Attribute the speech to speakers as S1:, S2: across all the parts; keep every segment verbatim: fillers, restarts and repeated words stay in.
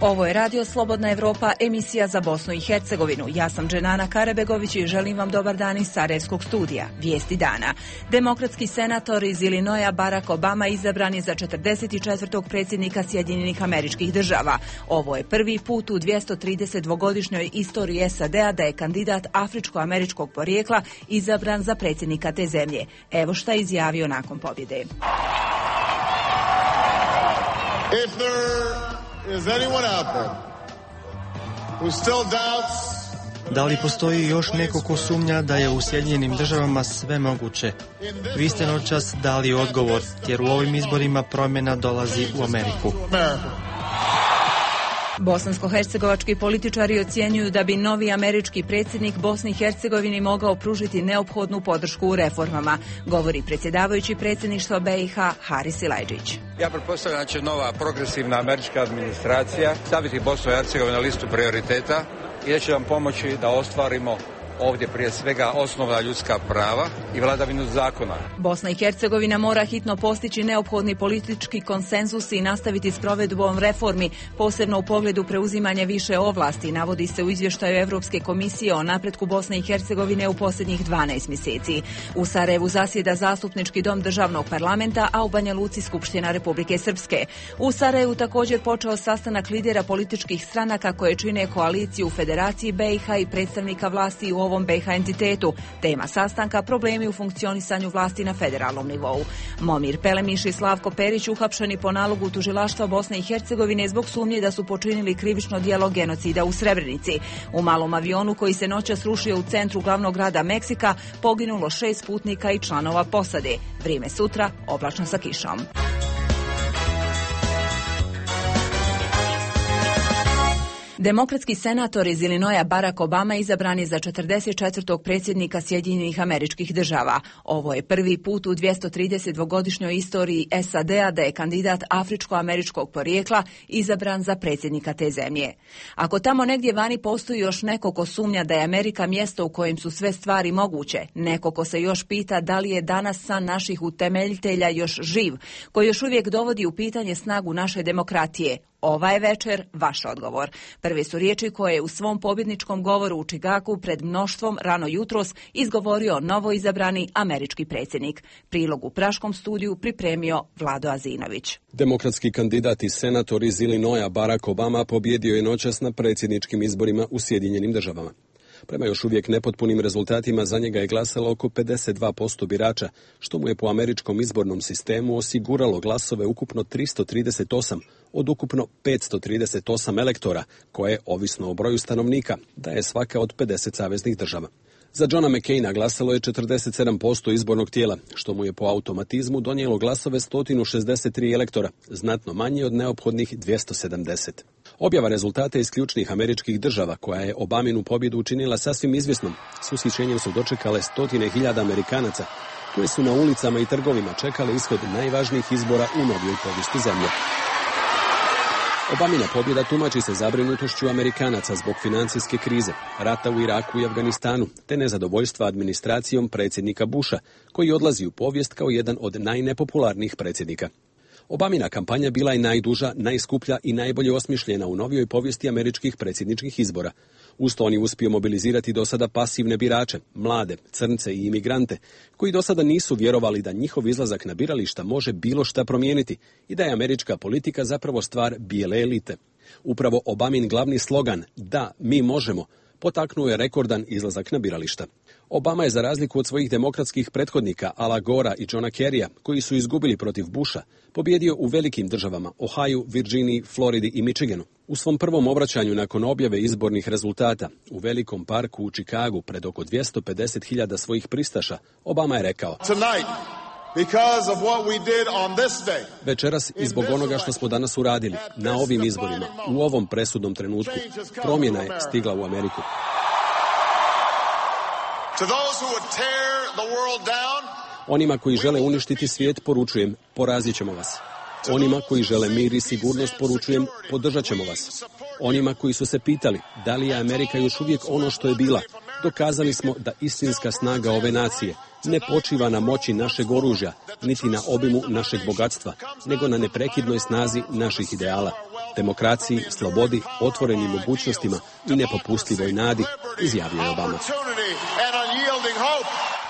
S1: Ovo je Radio Slobodna Evropa, emisija za Bosnu i Hercegovinu. Ja sam Dženana Karabegović i želim vam dobar dan iz Sarajevskog studija. Vijesti dana. Demokratski senator iz Ilinoja Barack Obama izabran je za četrdeset četvrtog predsjednika Sjedinjenih Američkih Država. Ovo je prvi put u dvjesto trideset dvogodišnjoj istoriji S A D-a da je kandidat afričko-američkog porijekla izabran za predsjednika te zemlje. Evo šta je izjavio nakon pobjede.
S2: If there is anyone out there who still doubts,
S3: da li postoji još neko ko sumnja da je u Sjedinjenim Državama sve moguće? Vi ste noćas dali odgovor, jer u ovim izborima promjena dolazi u Ameriku.
S1: Bosansko-hercegovački političari ocjenjuju da bi novi američki predsjednik Bosni i Hercegovini mogao pružiti neophodnu podršku u reformama, govori predsjedavajući predsjedništva B i H Haris Silajdžić.
S4: Ja pretpostavljam da će nova progresivna američka administracija staviti Bosnu i Hercegovinu na listu prioriteta i da će nam pomoći da ostvarimo ovdje prije svega osnovna ljudska prava i vladavinu zakona.
S1: Bosna i Hercegovina mora hitno postići neophodni politički konsenzus i nastaviti s provedbom reformi, posebno u pogledu preuzimanja više ovlasti, navodi se u izvještaju Europske komisije o napretku Bosne i Hercegovine u posljednjih dvanaest mjeseci. U Sarajevu zasjeda Zastupnički dom državnog parlamenta, a u Banja Luci Skupština Republike Srpske. U Sarajevu također počeo sastanak lidera političkih stranaka koje čine koaliciju u Federaciji B i H i predstavnika vlasti u ovom B i H entitetu. Tema sastanka: problemi u funkcionisanju vlasti na federalnom nivou. Momir Pelemiš i Slavko Perić uhapšeni po nalogu tužilaštva Bosne i Hercegovine zbog sumnje da su počinili krivično djelo genocida u Srebrenici. U malom avionu koji se noćas srušio u centru glavnog grada Meksika poginulo šest putnika i članova posade. Vrijeme sutra oblačno sa kišom. Demokratski senator iz Ilinoja Barack Obama izabran je za četrdeset četvrtog predsjednika Sjedinjenih Američkih Država. Ovo je prvi put u dvjesto trideset dvogodišnjoj istoriji S A D-a da je kandidat afričko-američkog porijekla izabran za predsjednika te zemlje. Ako tamo negdje vani postoji još neko ko sumnja da je Amerika mjesto u kojem su sve stvari moguće, neko ko se još pita da li je danas san naših utemeljitelja još živ, koji još uvijek dovodi u pitanje snagu naše demokratije, ova je večer vaš odgovor. Prve su riječi koje je u svom pobjedničkom govoru u Chicagu pred mnoštvom rano jutros izgovorio novoizabrani američki predsjednik. Prilog u praškom studiju pripremio Vlado Azinović.
S5: Demokratski kandidat i senator iz Ilinoja Barack Obama pobjedio je noćas na predsjedničkim izborima u Sjedinjenim Državama. Prema još uvijek nepotpunim rezultatima za njega je glasalo oko pedeset dva posto birača, što mu je po američkom izbornom sistemu osiguralo glasove ukupno tristo trideset osam od ukupno petsto trideset osam elektora, koje, ovisno o broju stanovnika, daje svaka od pedeset saveznih država. Za Johna McCaina glasalo je četrdeset sedam posto izbornog tijela, što mu je po automatizmu donijelo glasove sto šezdeset tri elektora, znatno manje od neophodnih dvjesto sedamdeset. Objava rezultata iz ključnih američkih država, koja je Obaminu pobjedu učinila sasvim izvjesnom, s ushićenjem su dočekale stotine hiljada Amerikanaca, koji su na ulicama i trgovima čekali ishod najvažnijih izbora u novijoj povijesti zemlje. Obamina pobjeda tumači se zabrinutošću Amerikanaca zbog financijske krize, rata u Iraku i Afganistanu, te nezadovoljstva administracijom predsjednika Busha, koji odlazi u povijest kao jedan od najnepopularnijih predsjednika. Obamina kampanja bila je najduža, najskuplja i najbolje osmišljena u novijoj povijesti američkih predsjedničkih izbora. Uz to on je uspio mobilizirati do sada pasivne birače, mlade, crnce i imigrante, koji do sada nisu vjerovali da njihov izlazak na birališta može bilo šta promijeniti i da je američka politika zapravo stvar bijele elite. Upravo Obamin glavni slogan "Da, mi možemo" potaknuo je rekordan izlazak na birališta. Obama je, za razliku od svojih demokratskih prethodnika Ala Gora i Johna Kerrya, koji su izgubili protiv Busha, pobjedio u velikim državama Ohio, Virginiji, Floridi i Michiganu. U svom prvom obraćanju nakon objave izbornih rezultata u velikom parku u Chicagu pred oko dvjesto pedeset hiljada svojih pristaša, Obama je rekao: večeras, i zbog onoga što smo danas uradili, na ovim izborima, u ovom presudnom trenutku, promjena je stigla u Ameriku. Onima koji žele uništiti svijet poručujem: porazit ćemo vas. Onima koji žele mir i sigurnost poručujem: podržat ćemo vas. Onima koji su se pitali da li je Amerika još uvijek ono što je bila, dokazali smo da istinska snaga ove nacije ne počiva na moći našeg oružja, niti na obimu našeg bogatstva, nego na neprekidnoj snazi naših ideala. demokraciji, slobodi, otvorenim mogućnostima i nepopustljivoj nadi, izjavio je Obama.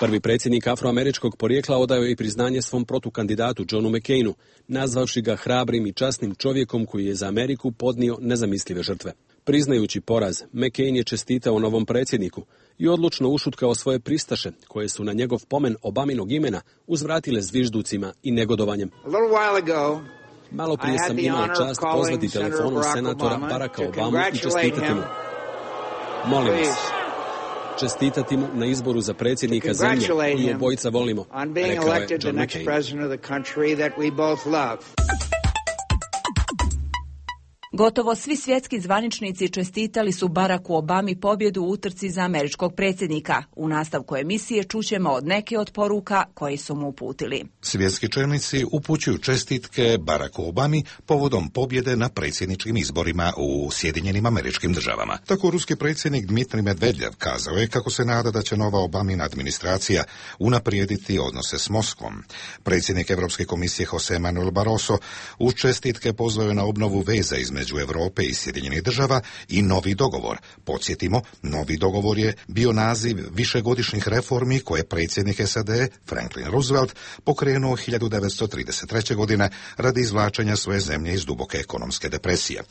S5: Prvi predsjednik afroameričkog porijekla odao je i priznanje svom protukandidatu Johnu McCainu, nazvavši ga hrabrim i časnim čovjekom koji je za Ameriku podnio nezamislive žrtve. Priznajući poraz, McCain je čestitao novom predsjedniku i odlučno ušutkao svoje pristaše, koje su na njegov pomen Obaminog imena uzvratile zvižducima i negodovanjem. Malo prije sam imao čast pozvati telefonom senatora Baracka Obamu i čestitati mu. Molim vas, čestitati mu na izboru za predsjednika zemlje koju obojica volimo, rekao je John McCain.
S1: Gotovo svi svjetski zvaničnici čestitali su Baracku Obami pobjedu u utrci za američkog predsjednika. U nastavku emisije čućemo od neke od poruka koji su mu uputili.
S6: Svjetski čelnici upućuju čestitke Baracku Obami povodom pobjede na predsjedničkim izborima u Sjedinjenim Američkim Državama. Tako ruski predsjednik Dmitrij Medvedjev kazao je kako se nada da će nova Obamina administracija unaprijediti odnose s Moskvom. Predsjednik Europske komisije Jose Manuel Barroso uz čestitke pozvao je na obnovu veza između Europe i Sjedinjenih Država i novi dogovor. Podsjetimo, novi dogovor je bio naziv višegodišnjih reformi koje predsjednik S A D Franklin Roosevelt pokrenuo hiljadu devetsto trideset treće. godine radi izvlačenja svoje zemlje iz duboke ekonomske depresije.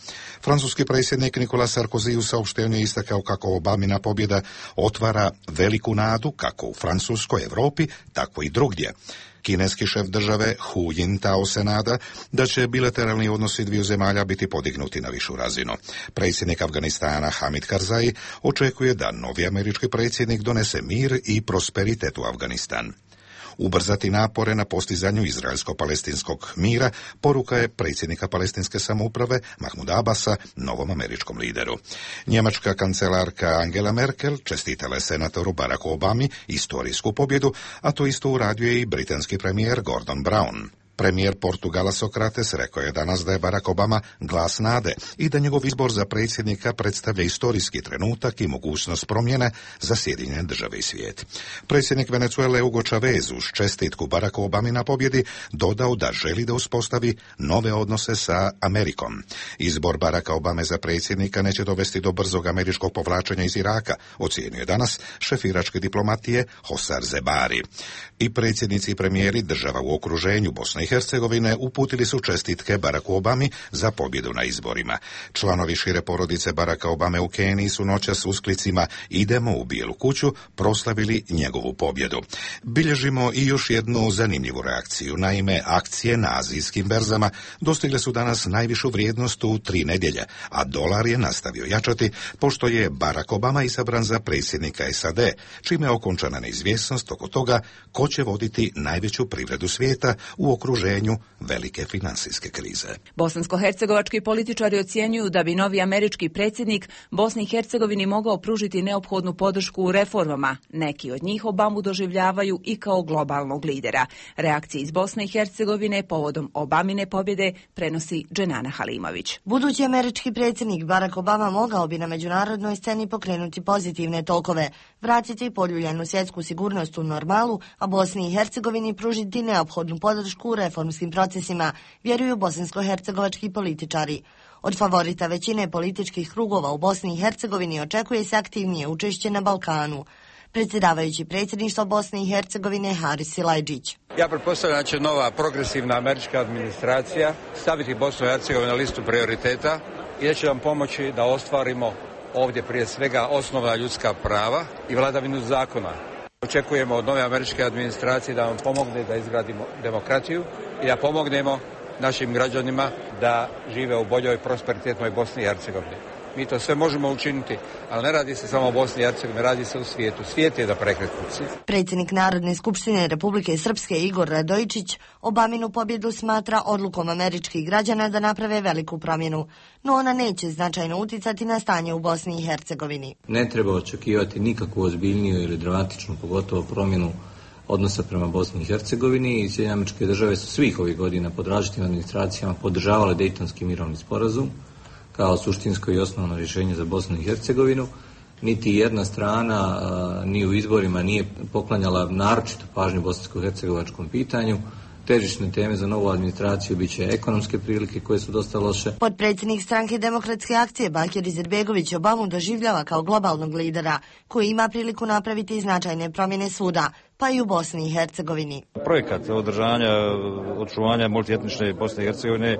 S6: Francuski predsjednik Nicolas Sarkozy u saopštenju je istakao kako Obamina pobjeda otvara veliku nadu kako u Francuskoj, Europi, tako i drugdje. Kineski šef države Hu Jintao se nada da će bilateralni odnosi dviju zemalja biti podignuti na višu razinu. Predsjednik Afganistana Hamid Karzai očekuje da novi američki predsjednik donese mir i prosperitet u Afganistan. Ubrzati napore na postizanju izraelsko-palestinskog mira poruka je predsjednika palestinske samouprave Mahmuda Abasa novom američkom lideru. Njemačka kancelarka Angela Merkel čestitala je senatoru Baracku Obami istorijsku pobjedu, a to isto uradio je i britanski premijer Gordon Brown. Premijer Portugala Sokrates rekao je danas da je Barack Obama glas nade i da njegov izbor za predsjednika predstavlja istorijski trenutak i mogućnost promjene za Sjedinjene Države i svijet. Predsjednik Venezuele Hugo Chavez uz čestitku Baracku Obami na pobjedi dodao da želi da uspostavi nove odnose sa Amerikom. Izbor Baracka Obame za predsjednika neće dovesti do brzog američkog povlačenja iz Iraka, ocijenio je danas šef iračke diplomatije Hosar Zebari. I predsjednici i premijeri država u okruženju Bosne i Hercegovine uputili su čestitke Baracku Obami za pobjedu na izborima. Članovi šire porodice Baracka Obame u Keniji su noćas s usklicima "Idemo u Bijelu kuću" proslavili njegovu pobjedu. Bilježimo i još jednu zanimljivu reakciju. Naime, akcije na azijskim berzama dostigle su danas najvišu vrijednost u tri nedjelje, a dolar je nastavio jačati pošto je Barack Obama isabran za predsjednika S A D, čime je okončana neizvjesnost oko toga ko će voditi najveću privredu svijeta u okruženju velike financijske krize.
S1: Bosansko-hercegovački političari ocjenjuju da bi novi američki predsjednik Bosni i Hercegovini mogao pružiti neophodnu podršku u reformama. Neki od njih Obamu doživljavaju i kao globalnog lidera. Reakcije iz Bosne i Hercegovine povodom Obamine pobjede prenosi Dženana Halimović.
S7: Budući američki predsjednik Barack Obama mogao bi na međunarodnoj sceni pokrenuti pozitivne tokove, vratiti poljuljanu svjetsku sigurnost u normalu, a Bosni i Hercegovini pružiti neophodnu podršku u reformskim procesima, vjeruju bosansko-hercegovački političari. Od favorita većine političkih krugova u Bosni i Hercegovini očekuje se aktivnije učešće na Balkanu. Predsjedavajući predsjedništva Bosne i Hercegovine Haris Silajdžić.
S4: Ja pretpostavljam da će nova progresivna američka administracija staviti Bosnu i Hercegovinu na listu prioriteta i da će nam pomoći da ostvarimo ovdje prije svega osnovna ljudska prava i vladavinu zakona. Očekujemo od nove američke administracije da nam pomogne da izgradimo demokratiju i da pomognemo našim građanima da žive u boljoj prosperitetnoj Bosni i Hercegovini. Mi to sve možemo učiniti, ali ne radi se samo o Bosni i Hercegovini, radi se u svijetu. Svijet je da prekretnici.
S7: Predsjednik Narodne skupštine Republike Srpske Igor Radojičić Obaminu pobjedu smatra odlukom američkih građana da naprave veliku promjenu, no ona neće značajno uticati na stanje u Bosni i Hercegovini.
S8: Ne treba očekivati nikakvu ozbiljniju ili dramatičnu, pogotovo promjenu odnosa prema Bosni i Hercegovini i Sjedinjene Američke Države su svih ovih godina pod različitim administracijama podržavale Dejtonski mirovni sporazum kao suštinsko i osnovno rješenje za Bosnu i Hercegovinu. Niti jedna strana a, ni u izborima nije poklanjala naročito pažnju bosansko-hercegovačkom pitanju, Težišne teme za novu administraciju bit će ekonomske prilike koje su dosta loše.
S7: Potpredsjednik stranke Demokratske akcije Bakir Izetbegović Obamu doživljava kao globalnog lidera koji ima priliku napraviti značajne promjene svuda, pa i u Bosni i Hercegovini.
S9: Projekat održanja, očuvanja multietnične Bosne i Hercegovine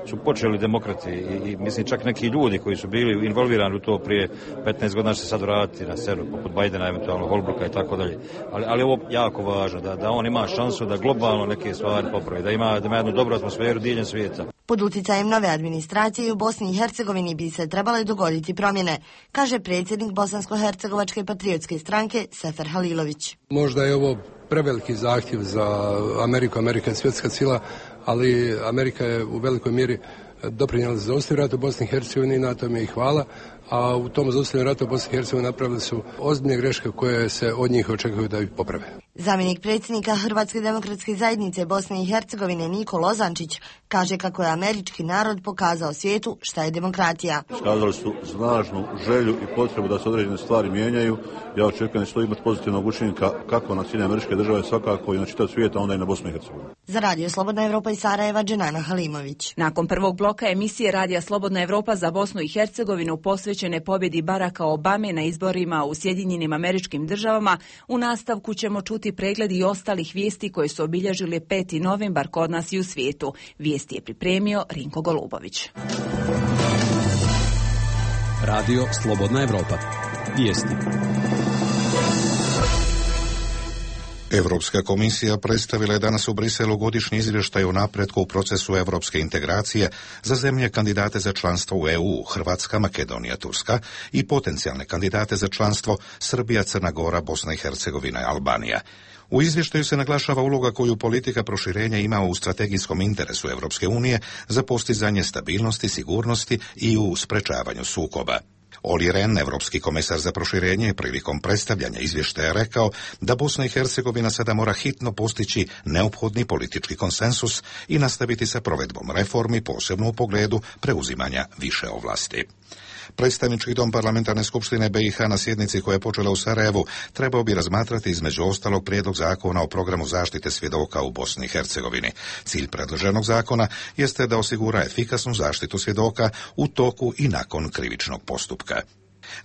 S9: su počeli demokrati i, i mislim čak neki ljudi koji su bili involvirani u to prije petnaest godina će se sad vratiti na scenu, poput Bajdena, eventualno Holbrooka i tako dalje. Ali, ali ovo jako važno, da, da on ima šansu da globalno neke stvari popravi, da ima, da ima jednu dobru atmosferu diljem svijeta.
S7: Pod utjecajem nove administracije u Bosni i Hercegovini bi se trebale dogoditi promjene, kaže predsjednik Bosansko-hercegovačke patriotske stranke Sefer Halilović.
S10: Možda je ovo preveliki zahtjev za Ameriku, Amerika je svjetska sila, ali Amerika je u velikoj mjeri doprinijela za zaustavljanje rata u Bosni i Hercegovini, na tome i hvala, a u tom zaustavljanju rata u Bosni i Hercegovini napravili su ozbiljne greške koje se od njih očekuju da ih poprave.
S7: Zamjenik predsjednika Hrvatske demokratske zajednice Bosne i Hercegovine Niko Lozančić kaže kako je američki narod pokazao svijetu šta je demokratija.
S11: Iskazali su snažnu želju i potrebu da se određene stvari mijenjaju. Ja očekujem da će to imati pozitivnog učinka kako na Sjedinjene Američke Države, svakako i na čitav svijet, a onda i na Bosnu i Hercegovinu.
S7: Za Radio Slobodna Evropa iz Sarajeva, Dženana Halimović.
S1: Nakon prvog bloka emisije Radija Slobodna Evropa za Bosnu i Hercegovinu posvećene pobjedi Baracka Obame na izborima u Sjedinjenim Američkim Državama, u nastavku ćemo čuti pregled i ostalih vijesti koje su obilježili peti novembar kod nas i u svijetu. Vijesti je pripremio Rinko Golubović.
S5: Radio Slobodna Evropa. Vijesti.
S6: Europska komisija predstavila je danas u Briselu godišnji izvještaj o napretku u procesu europske integracije za zemlje kandidate za članstvo u E U, Hrvatska, Makedonija, Turska i potencijalne kandidate za članstvo Srbija, Crna Gora, Bosna i Hercegovina i Albanija. U izvještaju se naglašava uloga koju politika proširenja ima u strategijskom interesu Europske unije za postizanje stabilnosti, sigurnosti i u sprečavanju sukoba. Olli Rehn, europski komesar za proširenje, prilikom predstavljanja izvještaja rekao da Bosna i Hercegovina sada mora hitno postići neophodni politički konsensus i nastaviti sa provedbom reformi, posebno u pogledu preuzimanja više ovlasti. Predstavnički dom Parlamentarne skupštine B i H na sjednici koja je počela u Sarajevu trebao bi razmatrati između ostalog prijedlog zakona o programu zaštite svjedoka u Bosni i Hercegovini. Cilj predloženog zakona jeste da osigura efikasnu zaštitu svjedoka u toku i nakon krivičnog postupka.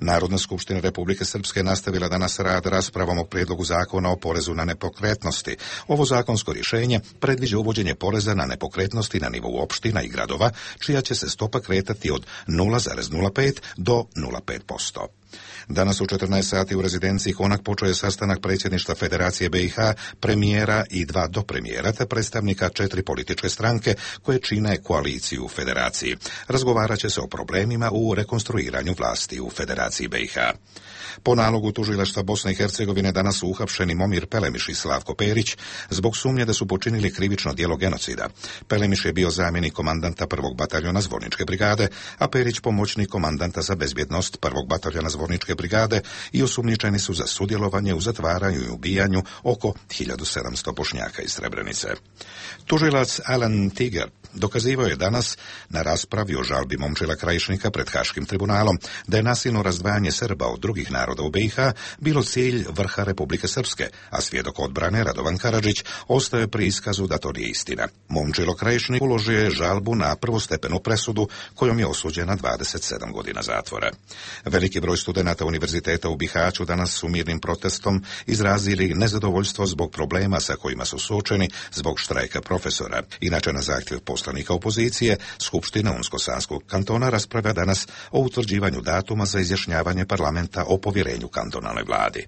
S6: Narodna skupština Republike Srpske nastavila danas rad raspravom o prijedlogu zakona o porezu na nepokretnosti. Ovo zakonsko rješenje predviđa uvođenje poreza na nepokretnosti na nivou opština i gradova, čija će se stopa kretati od nula zarez nula pet do nula zarez pet posto. Danas u četrnaest sati u rezidenciji Konak počeo je sastanak predsjedništva Federacije B i H, premijera i dva dopremijera te predstavnika četiri političke stranke koje čine koaliciju u Federaciji. Razgovarat će se o problemima u rekonstruiranju vlasti u Federaciji B i H. Po nalogu tužilaštva Bosne i Hercegovine danas su uhapšeni Momir Pelemiš i Slavko Perić zbog sumnje da su počinili krivično djelo genocida. Pelemiš je bio zamjenik komandanta prvog bataljona Zvorničke brigade, a Perić pomoćnik komandanta za bezbjednost prvog bataljona Zvorničke brigade i osumnjičeni su za sudjelovanje u zatvaranju i ubijanju oko hiljadu sedamsto Bošnjaka iz Srebrenice. Tužilac Alan Tiger dokazivao je danas na raspravi o žalbi Momčila Krajišnika pred Haškim tribunalom da je nasilno razdvajanje Srba od drugih naroda u B i H bilo cilj vrha Republike Srpske, a svjedok odbrane Radovan Karadžić ostaje pri iskazu da to nije istina. Momčilo Krajišnik uložio je žalbu na prvostepenu presudu kojom je osuđen na dvadeset sedam godina zatvora. Veliki broj studenata univerziteta u Bihaću danas su mirnim protestom izrazili nezadovoljstvo zbog problema sa kojima su suočeni zbog štrajka profesora. Inače, na zahtjev poslanika opozicije, Skupština Unsko-Sanskog kantona raspravlja danas o utvrđivanju datuma za izjašnjavanje parlamenta o povjerenju kantonalnoj vladi.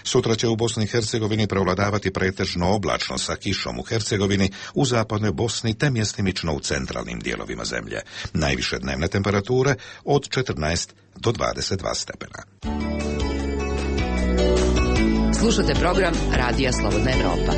S6: Sutra će u Bosni i Hercegovini prevladavati pretežno oblačno sa kišom u Hercegovini, u zapadnoj Bosni te mjestimično u centralnim dijelovima zemlje. Najviše dnevne temperature od četrnaest do dvadeset dva stepena.
S12: Slušate program Radija Slobodna Evropa.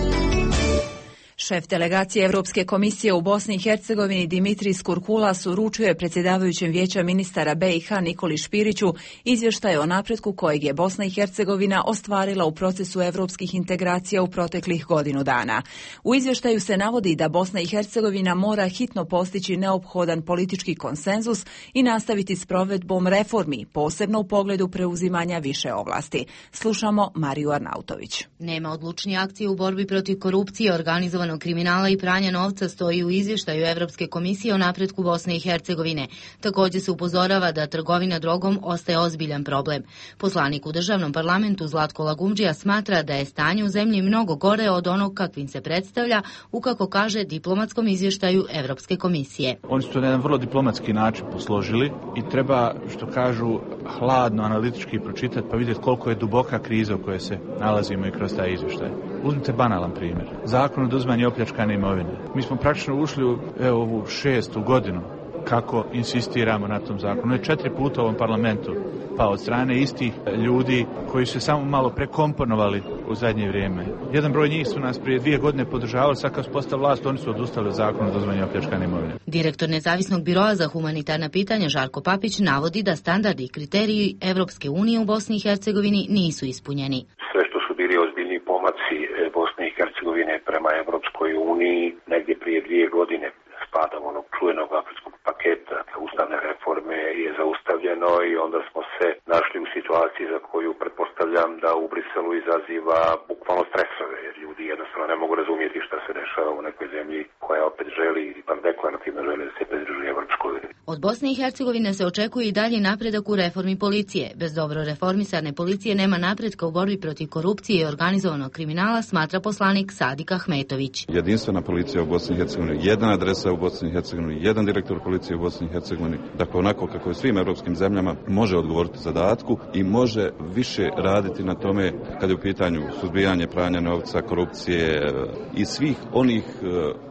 S1: Šef delegacije Europske komisije u Bosni i Hercegovini Dimitris Kurkulas uručio je predsjedavajućem vijeća ministara B i H Nikoli Špiriću izvještaj o napretku kojeg je Bosna i Hercegovina ostvarila u procesu europskih integracija u proteklih godinu dana. U izvještaju se navodi da Bosna i Hercegovina mora hitno postići neophodan politički konsenzus i nastaviti s provedbom reformi, posebno u pogledu preuzimanja više ovlasti. Slušamo Mariju Arnautović.
S13: Nema odlučnije akcije u borbi protiv korupcije, organizovanog organizovanog kriminala i pranja novca stoji u izvještaju Evropske komisije o napretku Bosne i Hercegovine. Također se upozorava da trgovina drogom ostaje ozbiljan problem. Poslanik u državnom parlamentu Zlatko Lagumdžija smatra da je stanje u zemlji mnogo gore od onog kakvim se predstavlja u, kako kaže, diplomatskom izvještaju Evropske komisije.
S14: Oni su to na jedan vrlo diplomatski način posložili i treba, što kažu, hladno, analitički pročitati pa vidjeti koliko je duboka kriza u kojoj se nalazimo i kroz taj izvještaj. Uzmite banalan primjer. Zakon o oduzimanju opljačkane imovine. Mi smo praktično ušli u evo, ovu šestu godinu kako insistiramo na tom zakonu. Je četiri puta u ovom parlamentu, pa od strane istih ljudi koji su samo malo prekomponovali u zadnje vrijeme. Jedan broj njih su nas prije dvije godine podržavali, sad kad su postali vlast, oni su odustali od zakona o oduzimanju opljačkane imovine.
S13: Direktor Nezavisnog biroa za humanitarna pitanja Žarko Papić navodi da standardi i kriteriji Evropske unije u Bosni i Hercegovini nisu ispunjeni.
S15: Sve što su bili ozbiljni pomaci Bosne i Hercegovine prema Evropskoj uniji negdje prije dvije godine spada u onog čuvenog afričkog paketa ustavne reforme je zaustavljeno i onda smo se našli u situaciji za koju pretpostavljam da u Briselu izaziva bukvalno stresove, jer ljudi jednostavno ne mogu razumjeti šta se dešava u nekoj zemlji koja opet želi, ipak deklarativno želi da se pridruži Evropskoj uniji.
S13: Od Bosne i Hercegovine se očekuje i dalji napredak u reformi policije. Bez dobro reformisane policije nema napretka u borbi protiv korupcije i organizovanog kriminala, smatra poslanik Sadik Ahmetović.
S16: Jedinstvena policija u Bosni i Hercegovini, jedna adresa u Bosni i Hercegovini, jedan direktor policije u Bosni i Hercegovini, dakle onako kako je svim europskim zemljama, može odgovoriti zadatku i može više raditi na tome kad je u pitanju suzbijanje pranja novca, korupcije i svih onih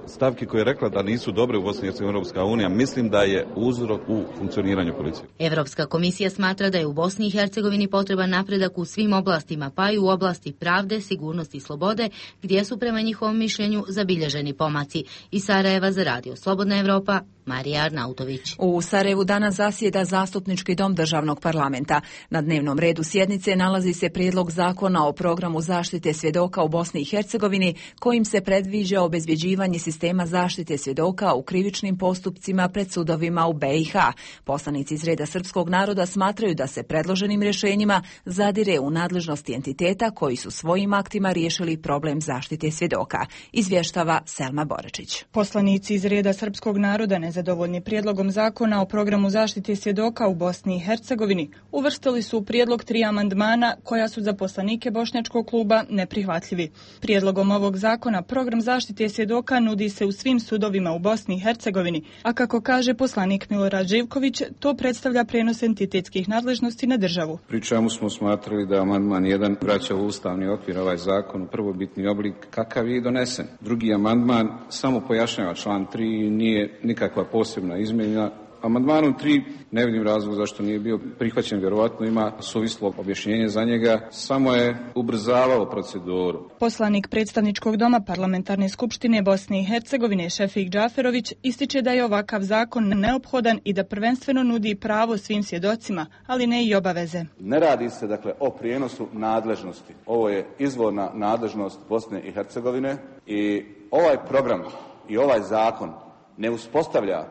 S16: stavki koje je rekla da nisu dobre u Bosni i Hercegovini Europska unija, mislim da je uzrok u funkcioniranju policije.
S13: Evropska komisija smatra da je u Bosni i Hercegovini potreban napredak u svim oblastima, pa i u oblasti pravde, sigurnosti i slobode, gdje su prema njihovom mišljenju zabilježeni pomaci. Iz Sarajeva za Radio Slobodna Evropa, Marija Arnautović.
S1: U Sarajevu danas zasjeda Zastupnički dom državnog parlamenta. Na dnevnom redu sjednice nalazi se prijedlog zakona o programu zaštite svjedoka u Bosni i Hercegovini, kojim se predviđa obezbjeđivanje sistema zaštite svjedoka u krivičnim postupcima pred sudovima u B i H. Poslanici iz reda srpskog naroda smatraju da se predloženim rješenjima zadire u nadležnosti entiteta koji su svojim aktima riješili problem zaštite svjedoka. Izvještava Selma Borečić.
S17: Poslanici iz reda srpskog naroda nezadovoljni prijedlogom zakona o programu zaštite svjedoka u Bosni i Hercegovini uvrstili su u prijedlog tri amandmana koja su za poslanike Bošnjačkog kluba neprihvatljivi. Prijedlogom ovog zakona program zaštite svjedoka nudi se u svim sudovima u Bosni i Hercegovini, a kako kaže poslanik Milorad Živković, to predstavlja prenos entitetskih nadležnosti na državu.
S18: Pri čemu smo smatrali da amandman jedan vraća u ustavni okvir ovaj zakon u prvobitni oblik kakav je i donesen. Drugi amandman samo pojašnjava član tri i nije nikakva posebna izmjena. Amandmanom tri ne vidim razlog zašto nije bio prihvaćen, vjerovatno ima suvislo objašnjenje za njega, samo je ubrzavao proceduru.
S17: Poslanik predstavničkog doma Parlamentarne skupštine Bosne i Hercegovine Šefik Džaferović ističe da je ovakav zakon neophodan i da prvenstveno nudi pravo svim svjedocima, ali ne i obaveze.
S19: Ne radi se dakle o prijenosu nadležnosti. Ovo je izvorna nadležnost Bosne i Hercegovine i ovaj program i ovaj zakon ne uspostavlja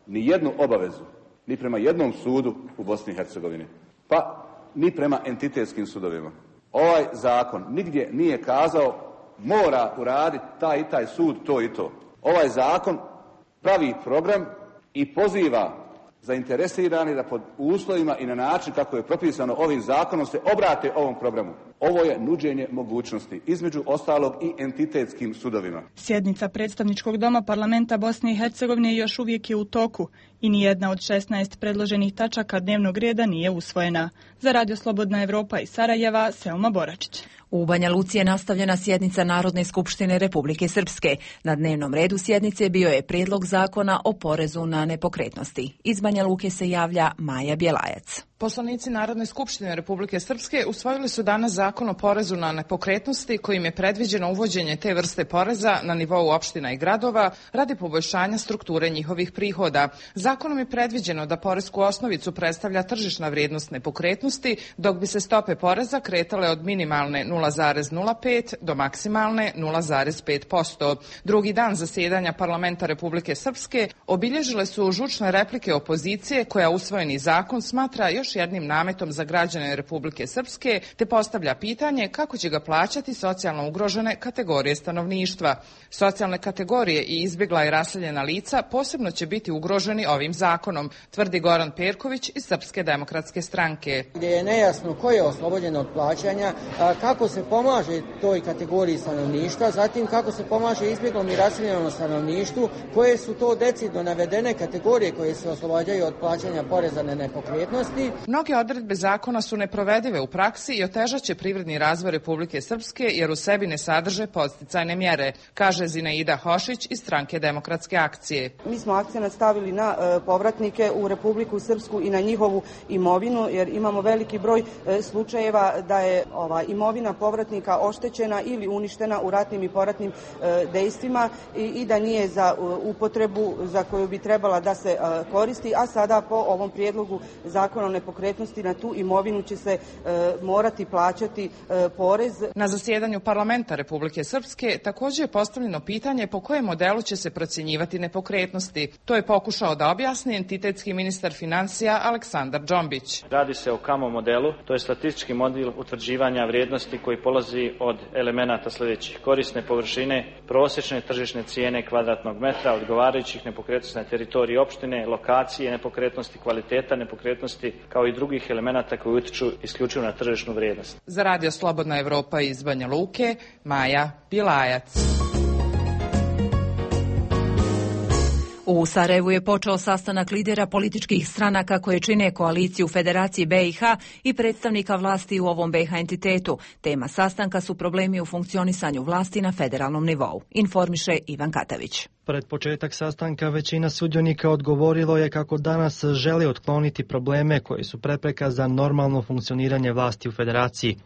S19: ni jednu obavezu, ni prema jednom sudu u Bosni i Hercegovini, pa ni prema entitetskim sudovima. Ovaj zakon nigdje nije kazao mora uraditi taj i taj sud to i to. Ovaj zakon pravi program i poziva zainteresirani da pod uslovima i na način kako je propisano ovim zakonom se obrate ovom programu. Ovo je nuđenje mogućnosti, između ostalog i entitetskim sudovima.
S17: Sjednica predstavničkog doma parlamenta Bosne i Hercegovine još uvijek je u toku i nijedna od šesnaest predloženih tačaka dnevnog reda nije usvojena. Za Radio Slobodna Evropa iz Sarajeva, Selma Boračić.
S1: U Banja Luci je nastavljena sjednica Narodne skupštine Republike Srpske. Na dnevnom redu sjednice bio je prijedlog zakona o porezu na nepokretnosti. Iz Banja Luke se javlja Maja Bjelajac.
S20: Poslanici Narodne skupštine Republike Srpske usvojili su danas zakon o porezu na nepokretnosti kojim je predviđeno uvođenje te vrste poreza na nivou opština i gradova radi poboljšanja strukture njihovih prihoda. Zakonom je predviđeno da poresku osnovicu predstavlja tržišna vrijednost nepokretnosti, dok bi se stope poreza kretale od minimalne nula zarez nula pet do maksimalne nula zarez pet posto. Drugi dan zasjedanja parlamenta Republike Srpske obilježile su žučne replike opozicije koja usvojeni zakon smatra još još jednim nametom za građane Republike Srpske, te postavlja pitanje kako će ga plaćati socijalno ugrožene kategorije stanovništva. Socijalne kategorije i izbjegla i raseljena lica posebno će biti ugroženi ovim zakonom, tvrdi Goran Perković iz Srpske demokratske stranke.
S21: Gdje je nejasno ko je oslobođen od plaćanja, kako se pomaže toj kategoriji stanovništva, zatim kako se pomaže izbjeglom i raseljenom stanovništvu, koje su to decidno navedene kategorije koje se oslobađaju od plaćanja poreza na nepokretnosti.
S20: Mnoge odredbe zakona su neprovedive u praksi i otežaće privredni razvoj Republike Srpske jer u sebi ne sadrže podsticajne mjere, kaže Zinaida Hošić iz Stranke demokratske akcije.
S22: Mi smo akcenat stavili na e, povratnike u Republiku Srpsku i na njihovu imovinu, jer imamo veliki broj e, slučajeva da je ova imovina povratnika oštećena ili uništena u ratnim i poratnim e, dejstvima i, i da nije za uh, upotrebu za koju bi trebala da se uh, koristi, a sada po ovom prijedlogu zakona o nepokretnosti na tu imovinu će se uh, morati plaćati uh, porez.
S20: Na zasjedanju parlamenta Republike Srpske također je postavljeno pitanje po kojem modelu će se procjenjivati nepokretnosti. To je pokušao da objasni entitetski ministar financija Aleksandar Džombić.
S23: Radi se o kamo modelu, to je statistički model utvrđivanja vrijednosti koji polazi od elemenata sljedećih: korisne površine, prosječne tržišne cijene kvadratnog metra, odgovarajućih nepokretnosti na teritoriji opštine, lokacije nepokretnosti, kvaliteta nepokretnosti, kao i drugih elemenata koji utiču isključivo na tržišnu vrijednost.
S20: Za Radio Slobodna Evropa iz Banja Luke, Maja Bilajac. U Sarajevu je počeo sastanak lidera političkih stranaka koje čine koaliciju Federaciji B i H i predstavnika vlasti u ovom B i H entitetu. Tema sastanka su problemi u funkcionisanju vlasti na federalnom nivou, informiše Ivan Katavić.
S3: Pred početak sastanka većina sudionika odgovorilo je kako danas želi otkloniti probleme koji su prepreka za normalno funkcioniranje vlasti u federaciji.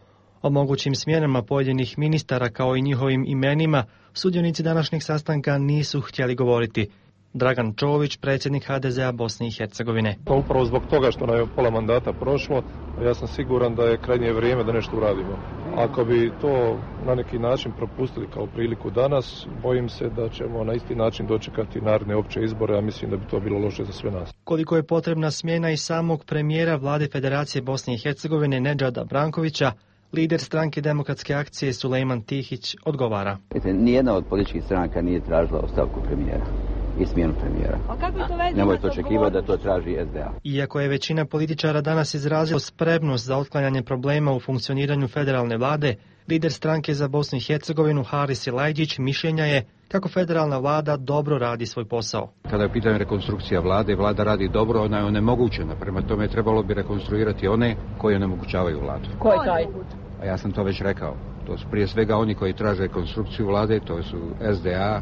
S3: O mogućim smjenama pojedinih ministara kao i njihovim imenima sudionici današnjeg sastanka nisu htjeli govoriti. Dragan Čović, predsjednik H D Z A Bosne i Hercegovine.
S24: Pa upravo zbog toga što nam je pola mandata prošlo, ja sam siguran da je krajnje vrijeme da nešto uradimo. Ako bi to na neki način propustili kao priliku danas, bojim se da ćemo na isti način dočekati naredne opće izbore, a mislim da bi to bilo loše za sve nas.
S3: Koliko je potrebna smjena i samog premijera vlade Federacije Bosne i Hercegovine Nedžada Brankovića, lider stranke Demokratske akcije Sulejman Tihić odgovara.
S25: Nijedna od političkih stranaka nije tražila ostavku premijera i smjenu premijera. Nemojte očekivati da to traži S D A.
S3: Iako je većina političara danas izrazila spremnost za otklanjanje problema u funkcioniranju federalne vlade, lider stranke za Bosnu i Hercegovinu Haris Silajđić mišljenja je kako federalna vlada dobro radi svoj posao.
S26: Kada je pitanje rekonstrukcija vlade, vlada radi dobro, ona je onemogućena. Prema tome trebalo bi rekonstruirati one koji onemogućavaju vladu.
S22: Ko je taj?
S26: A ja sam to već rekao. To su prije svega oni koji traže rekonstrukciju vlade, to su S D A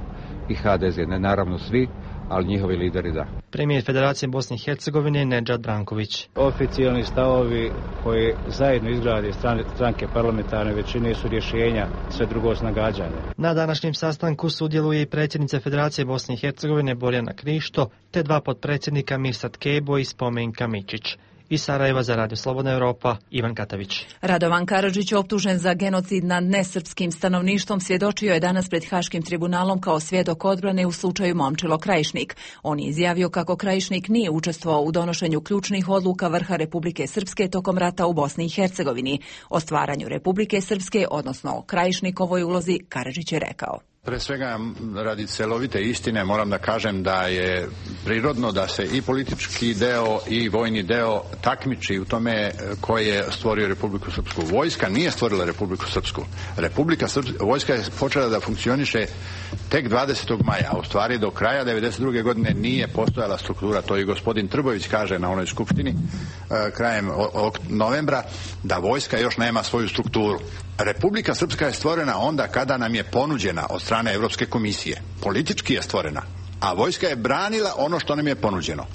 S26: i H D Z. Ne naravno svi, ali njihovi lideri da.
S3: Premijer Federacije Bosne i Hercegovine Nedžad Branković.
S27: Oficijalni stavovi koji zajedno izgrade stranke parlamentarne većine su rješenja, sve drugo s nagađanja.
S3: Na današnjem sastanku sudjeluje i predsjednica Federacije Bosne i Hercegovine Borjana Krišto, te dva potpredsjednika Mirsad Kebo i Spomenka Mičić. Iz Sarajeva za Radio Slobodna Evropa, Ivan Katavić.
S1: Radovan Karadžić, optužen za genocid nad nesrpskim stanovništvom, svjedočio je danas pred Haškim tribunalom kao svjedok odbrane u slučaju Momčilo Krajišnik. On je izjavio kako Krajišnik nije učestvovao u donošenju ključnih odluka vrha Republike Srpske tokom rata u Bosni i Hercegovini. O stvaranju Republike Srpske, odnosno o Krajišnikovoj ulozi, Karadžić je rekao.
S28: Pre svega, radi celovite istine, moram da kažem da je prirodno da se i politički deo i vojni deo takmiči u tome ko je stvorio Republiku Srpsku. Vojska nije stvorila Republiku Srpsku. Republika Srpska, vojska je počela da funkcioniše tek dvadesetog maja, a u stvari do kraja devedeset druge godine nije postojala struktura. To i gospodin Trbojević kaže na onoj skupštini krajem novembra, da vojska još nema svoju strukturu. Republika Srpska je stvorena onda kada nam je ponuđena od strane Evropske komisije. Politički je stvorena, a vojska je branila ono što nam je ponuđeno.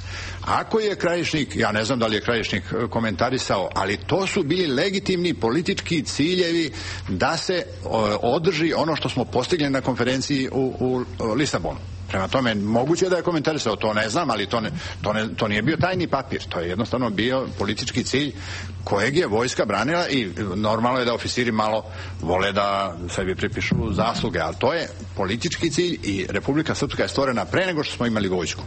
S28: Ako je Krajišnik, ja ne znam da li je Krajišnik komentarisao, ali to su bili legitimni politički ciljevi da se održi ono što smo postigli na konferenciji u, u Lisabonu. Prema tome, moguće da je komentarisao, to ne znam, ali to, ne, to, ne, to nije bio tajni papir, to je jednostavno bio politički cilj kojeg je vojska branila i normalno je da oficiri malo vole da sebi pripišu zasluge, ali to je politički cilj i Republika Srpska je stvorena pre nego što smo imali vojsku.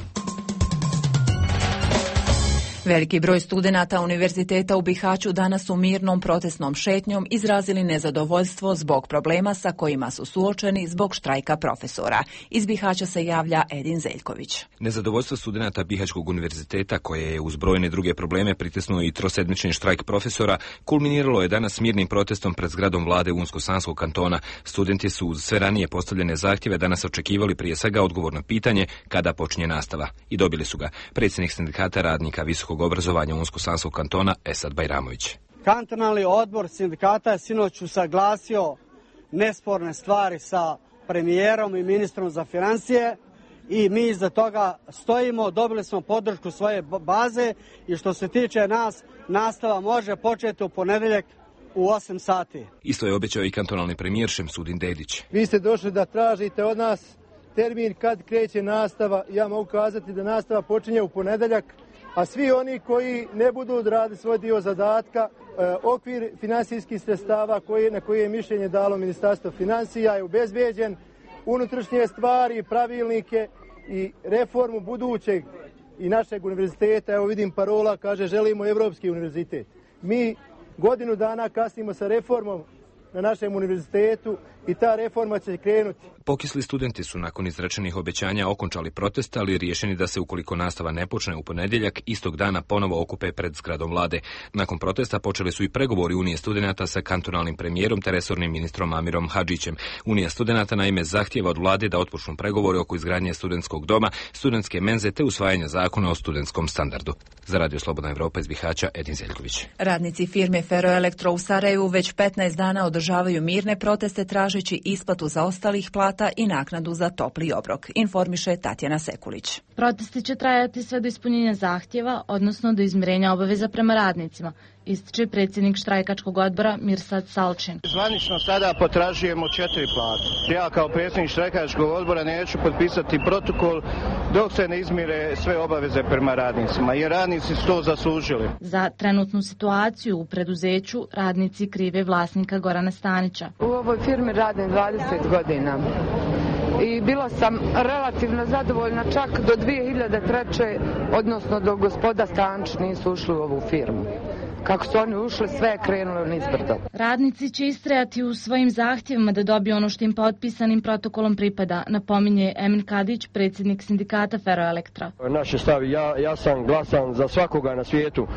S1: Veliki broj studenata Univerziteta u Bihaću danas u mirnom protestnom šetnjom izrazili nezadovoljstvo zbog problema sa kojima su suočeni zbog štrajka profesora. Iz Bihaća se javlja Edin Zeljković.
S2: Nezadovoljstvo studenata Bihaćkog univerziteta, koje je uz brojne druge probleme pritisnuo i trosedmični štrajk profesora, kulminiralo je danas mirnim protestom pred zgradom vlade Unsko-Sanskog kantona. Studenti su uz sve ranije postavljene zahtjeve danas očekivali prije svega odgovor na pitanje kada počinje nastava. I dobili su ga. Predsjednik sindikata radnika visokog obrazovanja Unsko-Sanskog kantona Esad Bajramović.
S4: Kantonalni odbor sindikata je sinoć usaglasio nesporne stvari sa premijerom i ministrom za financije i mi iza toga stojimo, dobili smo podršku svoje baze i što se tiče nas, nastava može početi u ponedjeljak u osam sati.
S2: Isto je obećao i kantonalni premijer Šemsudin Dedić.
S5: Vi ste došli da tražite od nas termin kad kreće nastava. Ja mogu kazati da nastava počinje u ponedjeljak, a svi oni koji ne budu odradili svoj dio zadatka, e, okvir finansijskih sredstava koji, na koje je mišljenje dalo Ministarstvo financija je obezbeđen, unutrašnje stvari, pravilnike i reformu budućeg i našeg univerziteta. Evo vidim parola, kaže želimo Evropski univerzitet. Mi godinu dana kasnimo sa reformom na našem univerzitetu i ta reforma će krenuti.
S2: Pokisli studenti su nakon izrečenih obećanja okončali protest, ali riješeni da se ukoliko nastava ne počne u ponedjeljak, istog dana ponovo okupe pred zgradom vlade. Nakon protesta počeli su i pregovori Unije studenata sa kantonalnim premijerom te resornim ministrom Amirom Hadžićem. Unija studenata naime zahtjeva od vlade da otpočnu pregovori oko izgradnje studentskog doma, studentske menze te usvajanja zakona o studentskom standardu. Za Radio Slobodna Evropa iz Bihaća, Edin Zeljković.
S1: Radnici firme Ferroelektro u Sarajevu već petnaest dana održavaju mirne proteste tražeći isplatu zaostalih plata i naknadu za topli obrok, informiše Tatjana Sekulić.
S7: Protesti će trajati sve do ispunjenja zahtjeva, odnosno do izmirenja obaveza prema radnicima, ističe predsjednik štrajkačkog odbora Mirsad Salčin.
S5: Zvanično sada potražujemo četiri plate. Ja kao predsjednik štrajkačkog odbora neću potpisati protokol dok se ne izmire sve obaveze prema radnicima, jer radnici su to zaslužili.
S7: Za trenutnu situaciju u preduzeću radnici krive vlasnika Gorana Stanića.
S8: U ovoj firmi radim dvadeset godina. I bila sam relativno zadovoljna čak do dvije hiljade treće. odnosno do gospoda Stančić nisu ušli u ovu firmu. Kako su oni ušli, sve je krenulo nizbrdo.
S7: Radnici će istrajati u svojim zahtjevima da dobiju ono što im potpisanim protokolom pripada, napominje Emin Kadić, predsjednik sindikata Ferroelektra.
S5: Naš je stav, ja, ja sam glasan za svakoga na svijetu.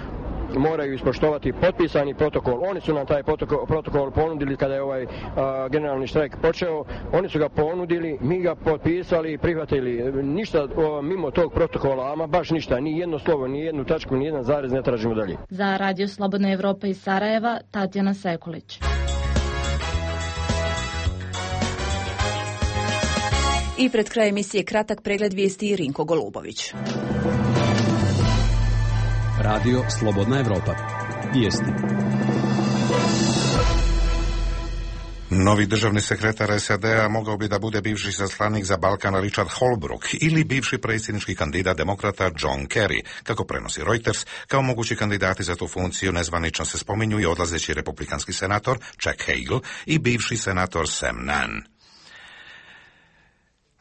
S5: Moraju ispoštovati potpisani protokol. Oni su nam taj protokol, protokol ponudili kada je ovaj a, generalni štrajk počeo. Oni su ga ponudili, mi ga potpisali i prihvatili. Ništa o, mimo tog protokola, ama baš ništa, ni jedno slovo, ni jednu tačku, ni jedan zarez ne tražimo dalje.
S7: Za Radio Slobodna Evropa iz Sarajeva, Tatjana Sekulić.
S1: I pred kraj emisije kratak pregled vijesti Rinko Golubović.
S9: Radio Slobodna Evropa. Vijesti.
S6: Novi državni sekretar S A D-a mogao bi da bude bivši zaslanik za Balkan Richard Holbrooke ili bivši predsjednički kandidat demokrata John Kerry, kako prenosi Reuters. Kao mogući kandidati za tu funkciju nezvanično se spominju i odlazeći republikanski senator Chuck Hagel i bivši senator Sam Nunn.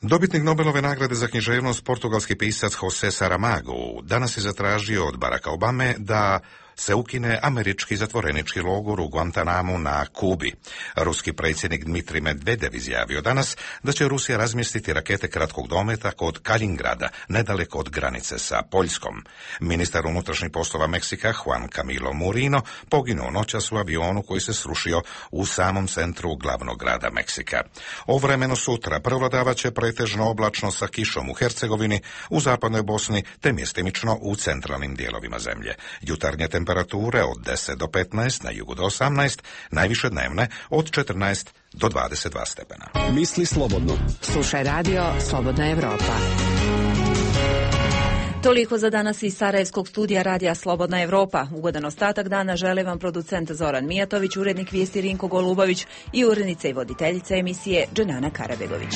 S6: Dobitnik Nobelove nagrade za književnost, portugalski pisac José Saramago, danas je zatražio od Baracka Obame da se ukine američki zatvorenički logor u Guantanamu na Kubi. Ruski predsjednik Dmitrij Medvedev izjavio danas da će Rusija razmjestiti rakete kratkog dometa kod Kalingrada, nedaleko od granice sa Poljskom. Ministar unutrašnjih poslova Meksika Juan Camilo Murino poginuo noćas u avionu koji se srušio u samom centru glavnog grada Meksika. O vremenu sutra prevladavat će pretežno oblačno sa kišom u Hercegovini, u zapadnoj Bosni te mjestimično u centralnim dijelovima zemlje. Jutarnje temperature od deset do petnaest, na jugu do osamnaest, najviše dnevne od četrnaest do dvadeset dva stepena.
S9: Misli slobodno.
S12: Slušaj Radio Slobodna Evropa.
S1: Toliko za danas iz Sarajevskog studija Radija Slobodna Evropa. Ugodan ostatak dana žele vam producent Zoran Mijatović, urednik vijesti Rinko Golubović i urednica i voditeljica emisije Dženana Karabegović.